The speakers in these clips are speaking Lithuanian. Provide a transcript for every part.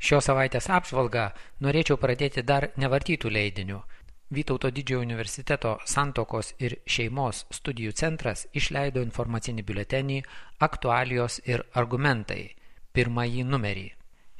Šios savaitės apžvalgą norėčiau pradėti dar nevartytų leidinių. Vytauto Didžiojo universiteto Santuokos ir šeimos studijų centras išleido informacinį biuletenį Aktualijos ir argumentai, pirmąjį numerį.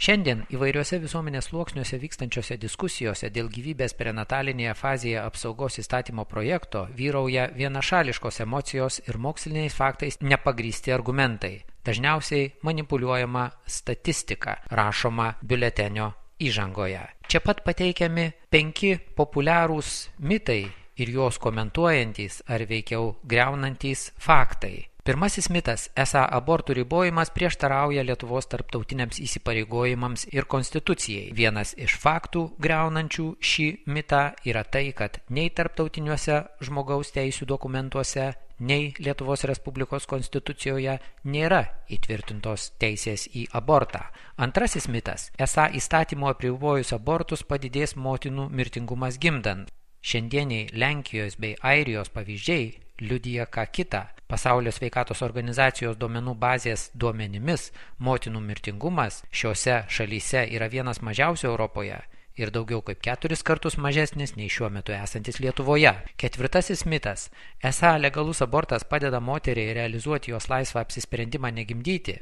Šiandien įvairiuose visuomenės sluoksniuose vykstančiose diskusijose dėl gyvybės prenatalinėje fazėje apsaugos įstatymo projekto vyrauja vienašališkos emocijos ir moksliniais faktais nepagrįsti argumentai. Dažniausiai manipuliuojama statistika, rašoma biuletenio įžangoje. Čia pat pateikiami 5 populiarūs mitai ir juos komentuojantys ar veikiau griaunantys faktai. Pirmasis mitas, esą abortų ribojimas prieštarauja Lietuvos tarptautiniams įsipareigojimams ir konstitucijai. Vienas iš faktų griaunančių šį mitą yra tai, kad nei tarptautiniuose žmogaus teisių dokumentuose, nei Lietuvos Respublikos konstitucijoje nėra įtvirtintos teisės į abortą. Antrasis mitas, esą įstatymo apribojus abortus padidės motinų mirtingumas gimdant. Šiandieniai Lenkijos bei Airijos pavyzdžiai liudija ką kitą. Pasaulio sveikatos organizacijos duomenų bazės duomenimis motinų mirtingumas šiuose šalyse yra vienas mažiausių Europoje ir daugiau kaip 4 kartus mažesnis nei šiuo metu esantis Lietuvoje. Ketvirtasis mitas, esą legalus abortas padeda moteriai realizuoti jos laisvą apsisprendimą negimdyti,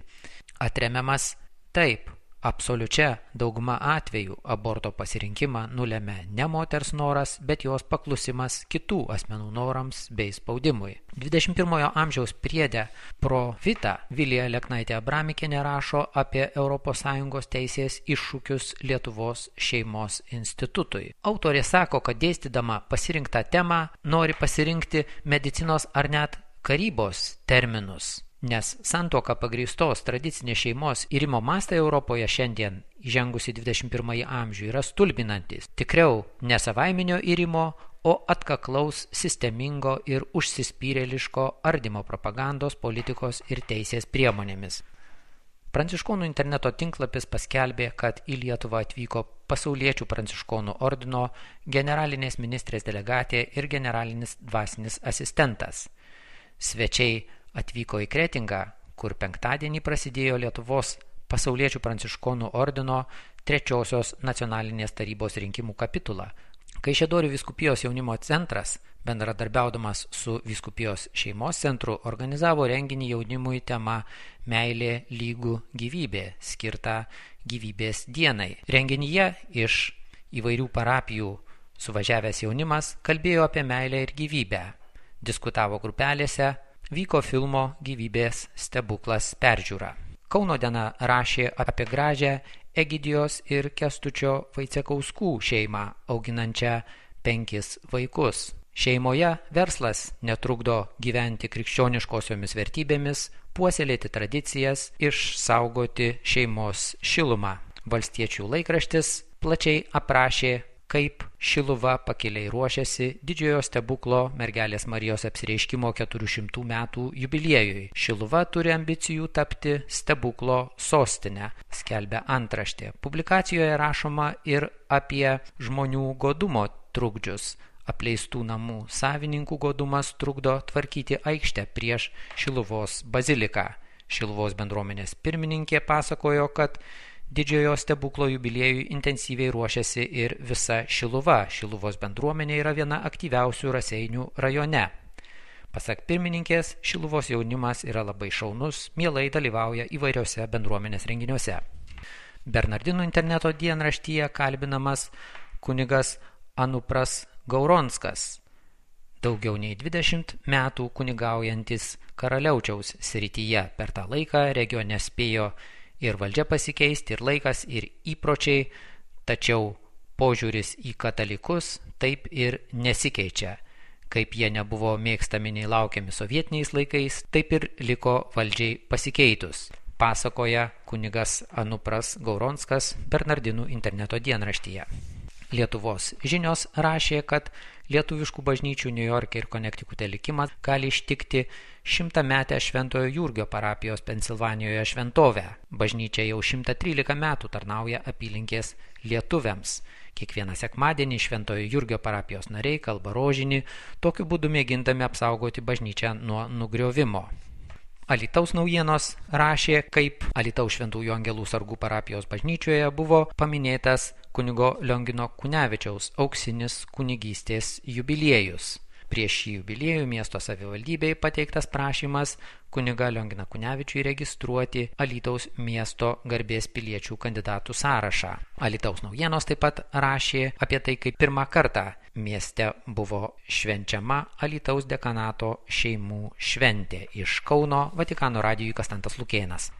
atremiamas taip. Absoliučia dauguma atvejų aborto pasirinkimą nulemia ne moters noras, bet jos paklusimas kitų asmenų norams bei spaudimui. 21 amžiaus priede Pro Vita Vilija Leknaitė Abramikienė rašo apie ES teisės iššūkius Lietuvos šeimos institutui. Autorė sako, kad dėstydama pasirinktą temą nori pasirinkti medicinos ar net karybos terminus. Nes santuoka pagrįstos tradicinės šeimos irimo mastai Europoje šiandien, įžengusi 21 amžių, yra stulbinantis. Tikriau, ne savaiminio irimo, o atkaklaus, sistemingo ir užsispyrėliško ardymo propagandos, politikos ir teisės priemonėmis. Pranciškonų interneto tinklapis paskelbė, kad į Lietuvą atvyko Pasauliečių pranciškonų ordino generalinės ministrės delegatė ir generalinis dvasinis asistentas. Svečiai atvyko į Kretingą, kur penktadienį prasidėjo Lietuvos Pasauliečių pranciškonų ordino 3-osios nacionalinės tarybos rinkimų kapitula. Kaišiadorių vyskupijos jaunimo centras, bendradarbiaudamas su vyskupijos šeimos centru, organizavo renginį jaunimui tema Meilė lygų gyvybė, skirtą gyvybės dienai. Renginyje iš įvairių parapijų suvažiavęs jaunimas kalbėjo apie meilę ir gyvybę. Diskutavo grupelėse, vyko filmo Gyvybės stebuklas peržiūra. Kauno diena rašė apie gražią Egidijos ir Kęstučio Vaicekauskų šeimą, auginančią 5 vaikus. Šeimoje verslas netrukdo gyventi krikščioniškosiomis vertybėmis, puoselėti tradicijas, išsaugoti šeimos šilumą. Valstiečių laikraštis plačiai aprašė, kaip Šiluva pakiliai ruošiasi Didžiojo stebuklo mergelės Marijos apsireiškimo 400 metų jubiliejui. Šiluva turi ambicijų tapti stebuklo sostinę, skelbia antraštė. Publikacijoje rašoma ir apie žmonių godumo trukdžius. Apleistų namų savininkų godumas trukdo tvarkyti aikštę prieš Šiluvos baziliką. Šiluvos bendruomenės pirmininkė pasakojo, kad Didžiojo stebuklo jubiliejui intensyviai ruošiasi ir visa Šiluva. Šiluvos bendruomenė yra viena aktyviausių Raseinių rajone. Pasak pirmininkės, Šiluvos jaunimas yra labai šaunus, mielai dalyvauja įvairiose bendruomenės renginiuose. Bernardinų interneto dienraštyje kalbinamas kunigas Anupras Gauronskas, daugiau nei 20 metų kunigaujantis Karaliaučiaus srityje. Per tą laiką regione spėjo ir valdžia pasikeisti, ir laikas, ir įpročiai, tačiau požiūris į katalikus taip ir nesikeičia. Kaip jie nebuvo mėgstami nei laukiami sovietiniais laikais, taip ir liko valdžiai pasikeitus, pasakoja kunigas Anupras Gauronskas Bernardinų interneto dienraštyje. Lietuvos žinios rašė, kad lietuviškų bažnyčių Niujorke ir Konektikute likimas gali ištikti 100-metę Šventojo Jurgio parapijos Pensilvanijoje šventovę. Bažnyčia jau 113 metų tarnauja apylinkės lietuviams. Kiekvieną sekmadienį Šventojo Jurgio parapijos nariai kalba rožinį, tokiu būdu mėgindami apsaugoti bažnyčią nuo nugriovimo. Alytaus naujienos rašė, kaip Alytaus Šventųjų Angelų sargų parapijos bažnyčioje buvo paminėtas kunigo Liongino Kunevičiaus auksinis kunigystės jubiliejus. Prieš šį jubiliejų miesto savivaldybei pateiktas prašymas kunigą Lionginą Kunevičių įregistruoti Alytaus miesto garbės piliečių kandidatų sąrašą. Alytaus naujienos taip pat rašė apie tai, kaip pirmą kartą mieste buvo švenčiama Alytaus dekanato šeimų šventė. Iš Kauno Vatikano radijui Konstantas Lukėnas.